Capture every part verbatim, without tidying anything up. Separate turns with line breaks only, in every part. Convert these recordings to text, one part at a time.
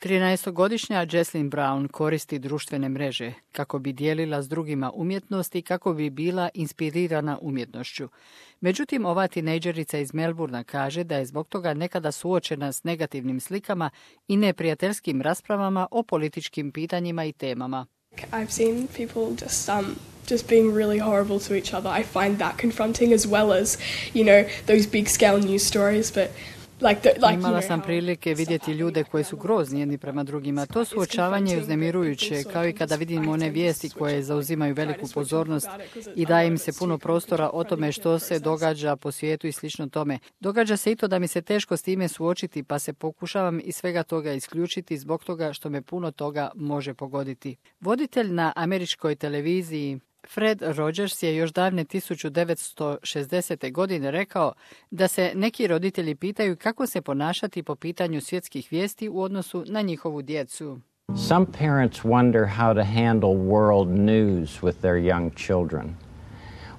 trinaestogodišnja Jocelyn Brown koristi društvene mreže kako bi dijelila s drugima umjetnost i kako bi bila inspirirana umjetnošću. Međutim, ova tinejdžerica iz Melbourna kaže da je zbog toga nekada suočena s negativnim slikama i neprijateljskim raspravama o političkim pitanjima i temama.
I've seen people just um just being really horrible to each other. I find that confronting as well as, you know, those big scale news stories, but Like the, like,
Imala sam prilike vidjeti ljude koji su grozni jedni prema drugima. To suočavanje je uznemirujuće, kao i kada vidimo one vijesti koje zauzimaju veliku pozornost i daje im se puno prostora o tome što se događa po svijetu i slično tome. Događa se i to da mi se teško s time suočiti, pa se pokušavam iz svega toga isključiti zbog toga što me puno toga može pogoditi. Voditelj na američkoj televiziji Fred Rogers je još davne tisuću devetsto šezdesete. godine rekao da se neki roditelji pitaju kako se ponašati po pitanju svjetskih vijesti u odnosu na njihovu djecu.
Some parents wonder how to handle world news with their young children.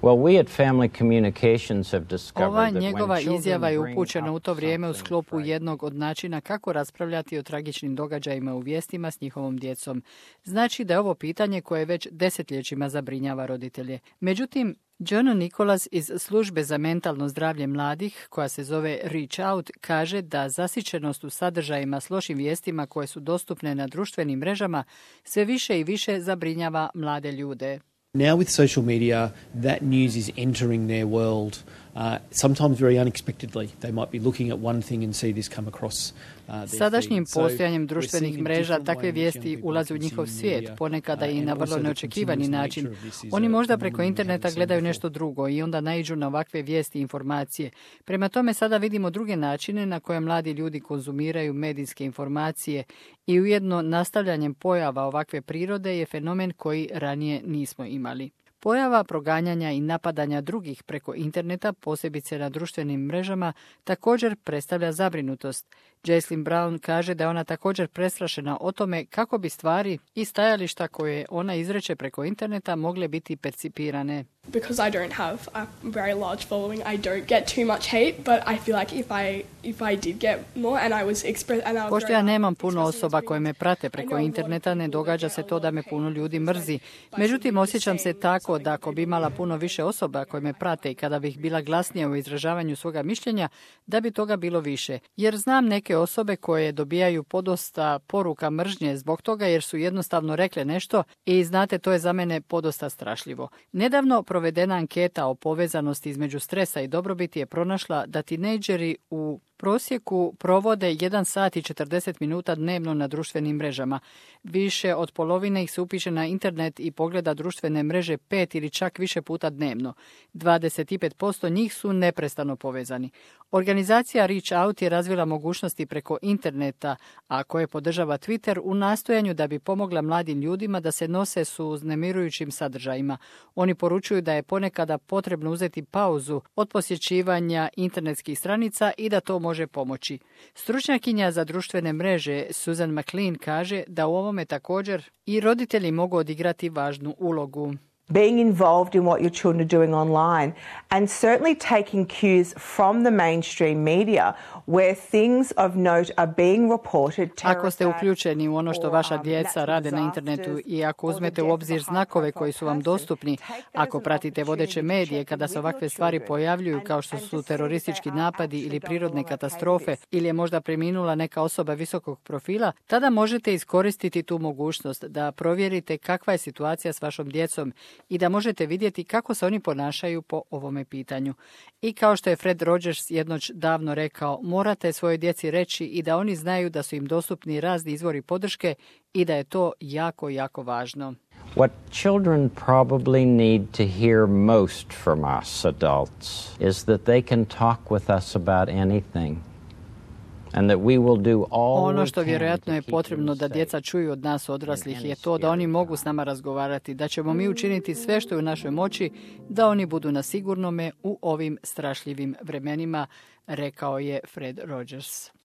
Well, we at Family Communications have discovered
Ova
that
njegova
when
izjava je
children
upućena
bring
u to
up
vrijeme u
something
sklopu
frightening,
jednog od načina kako raspravljati o tragičnim događajima u vijestima s njihovom djecom. Znači da je ovo pitanje koje već desetljećima zabrinjava roditelje. Međutim, John Nicholas iz službe za mentalno zdravlje mladih, koja se zove Reach Out, kaže da zasićenost u sadržajima s lošim vijestima koje su dostupne na društvenim mrežama sve više i više zabrinjava mlade ljude.
Now with social media, that news is entering their world, uh, sometimes very unexpectedly. They might be looking at one thing and see this come across uh, their
Sadašnjim
feed. So
postojanjem
we're
društvenih
seeing a
mreža
different way
takve
in which young
vijesti
people
ulaze u
are
njihov
consuming
svijet,
media,
ponekada
uh,
i
and
na
also
vrlo
the
neočekivani
continuous
način.
nature of this is
Oni
a
možda
phenomenon
preko
we
interneta
haven't
gledaju
seen
nešto
before.
drugo i onda naiđu na ovakve vijesti i informacije. Prema tome sada vidimo druge načine na koje mladi ljudi konzumiraju medijske informacije i ujedno nastavljanjem pojava ovakve prirode je fenomen koji ranije nismo imali. Pojava proganjanja i napadanja drugih preko interneta, posebice na društvenim mrežama, također predstavlja zabrinutost. Jocelyn Brown kaže da je ona također prestrašena o tome kako bi stvari i stajališta koje ona izreče preko interneta mogle biti percipirane.
Because I don't have a very large following, I don't get too much hate, but I feel like if I if I did get more and I was express and I was
Pošto ja nemam puno osoba koje me prate preko interneta, ne događa se to da me puno ljudi mrzi. Međutim, osjećam se tako da ako bi imala puno više osoba koje me prate i kada bih bila glasnija u izražavanju svoga mišljenja, da bi toga bilo više. Jer znam neke osobe koje dobijaju podosta poruka mržnje zbog toga jer su jednostavno rekle nešto i znate, to je za mene podosta strašljivo. Nedavno provedena anketa o povezanosti između stresa i dobrobiti je pronašla da tinejdžeri u prosjeku provode jedan sat i četrdeset minuta dnevno na društvenim mrežama. Više od polovine ih se upiše na internet i pogleda društvene mreže pet ili čak više puta dnevno. dvadeset pet posto njih su neprestano povezani. Organizacija Reach Out je razvila mogućnosti preko interneta, a koje podržava Twitter, u nastojanju da bi pomogla mladim ljudima da se nose s uznemirujućim sadržajima. Oni poručuju da je ponekada potrebno uzeti pauzu od posjećivanja internetskih stranica i da to može pomoći. Stručnjakinja za društvene mreže Susan McLean kaže da u ovome također i roditelji mogu odigrati važnu ulogu.
Being involved in what your children are doing online and certainly taking cues from the mainstream media where things of note are being reported.
Ako ste uključeni u ono što vaša djeca rade na internetu i ako uzmete u obzir znakove koji su vam dostupni, ako pratite vodeće medije kada se ovakve stvari pojavljuju kao što su teroristički napadi ili prirodne katastrofe ili je možda preminula neka osoba visokog profila, tada možete iskoristiti tu mogućnost da provjerite kakva je situacija s vašom djecom i da možete vidjeti kako se oni ponašaju po ovome pitanju. I kao što je Fred Rogers jednoć davno rekao, morate svojoj djeci reći i da oni znaju da su im dostupni razni izvori podrške i da je to jako, jako važno.
What children probably need to hear most from us adults is that they can talk with us about anything. And that we will do all
Ono
we
što
can
vjerojatno
to
je
keep
potrebno
them
da
safe.
djeca čuju od nas odraslih je to da oni mogu s nama razgovarati, da ćemo mi učiniti sve što je u našoj moći da oni budu na sigurnome u ovim strašljivim vremenima, rekao je Fred Rogers.